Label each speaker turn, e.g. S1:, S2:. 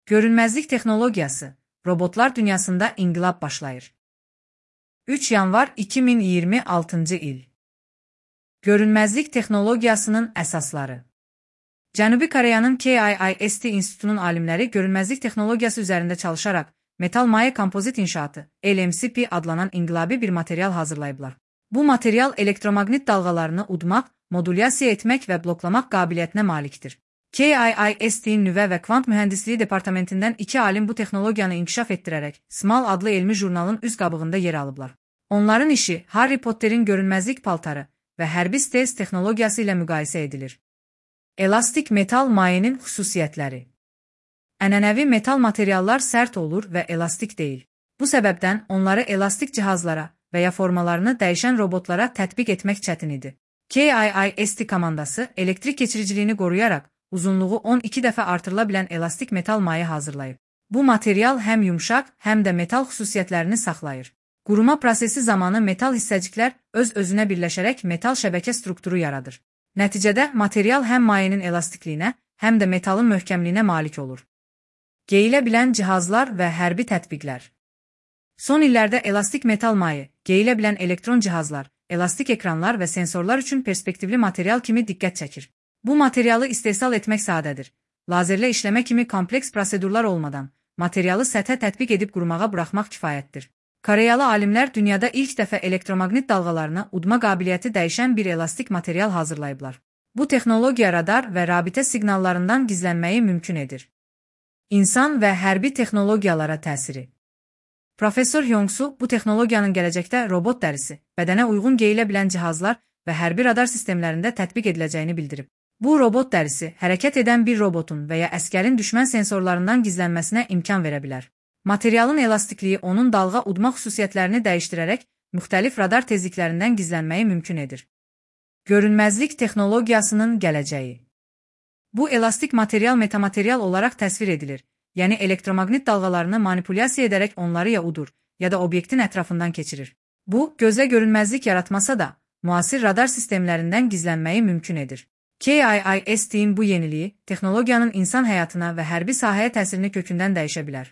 S1: Görünməzlik texnologiyası, robotlar dünyasında inqilab başlayır. 3 yanvar 2026 il. Görünməzlik texnologiyasının əsasları. Cənubi Koreyanın KIIST İnstitutunun alimləri görünməzlik texnologiyası üzərində çalışaraq metal maye kompozit inşaatı LMCP adlanan inqilabi bir material hazırlayıblar. Bu material elektromaqnit dalğalarını udmaq, modulyasiya etmək və bloklamaq qabiliyyətinə malikdir. KIIST-in nüvə və kvant mühəndisliyi departamentindən 2 alim bu texnologiyanı inkişaf etdirərək SMAL adlı elmi jurnalın üz qabığında yer alıblar. Onların işi Harry Potterin görünməzlik paltarı və hərbi stealth texnologiyası ilə müqayisə edilir. Elastik metal mayenin xüsusiyyətləri. Ənənəvi metal materiallar sərt olur və elastik deyil. Bu səbəbdən onları elastik cihazlara və ya formalarını dəyişən robotlara tətbiq etmək çətin idi. KIIST komandası elektrik keçiriciliyini qoruyaraq uzunluğu 12 dəfə artırıla bilən elastik metal maye hazırlayıb. Bu material həm yumşaq, həm də metal xüsusiyyətlərini saxlayır. Quruma prosesi zamanı metal hissəciklər öz-özünə birləşərək metal şəbəkə strukturu yaradır. Nəticədə material həm mayenin elastikliyinə, həm də metalın möhkəmliyinə malik olur. Geyilə bilən cihazlar və hərbi tətbiqlər. Son illərdə elastik metal maye, geyilə bilən elektron cihazlar, elastik ekranlar və sensorlar üçün perspektivli material kimi diqqət çəkir. Bu materialı istehsal etmək sadədir. Lazerlə işləmə kimi kompleks prosedurlar olmadan, materialı səthə tətbiq edib qurumağa buraxmaq kifayətdir. Koreyalı alimlər dünyada ilk dəfə elektromaqnit dalğalarını udma qabiliyyəti dəyişən bir elastik material hazırlayıblar. Bu texnologiya radar və rabitə siqnallarından gizlənməyi mümkün edir. İnsan və hərbi texnologiyalara təsiri. Professor Hyong-su bu texnologiyanın gələcəkdə robot dərisi, bədənə uyğun geyilə bilən cihazlar və hərbi radar sistemlərində tətbiq ediləcəyini bildirib. Bu robot dərisi hərəkət edən bir robotun və ya əskərin düşmən sensorlarından gizlənməsinə imkan verə bilər. Materialın elastikliyi onun dalğa udma xüsusiyyətlərini dəyişdirərək müxtəlif radar tezliklərindən gizlənməyi mümkün edir. Görünməzlik texnologiyasının gələcəyi. Bu elastik material metamaterial olaraq təsvir edilir, yəni elektromaqnit dalğalarını manipulyasiya edərək onları ya udur, ya da obyektin ətrafından keçirir. Bu, gözə görünməzlik yaratmasa da, müasir radar sistemlərindən gizlənməyi mümkün edir. KIIST-in bu yeniliyi, texnologiyanın insan həyatına və hərbi sahəyə təsirini kökündən dəyişə bilər.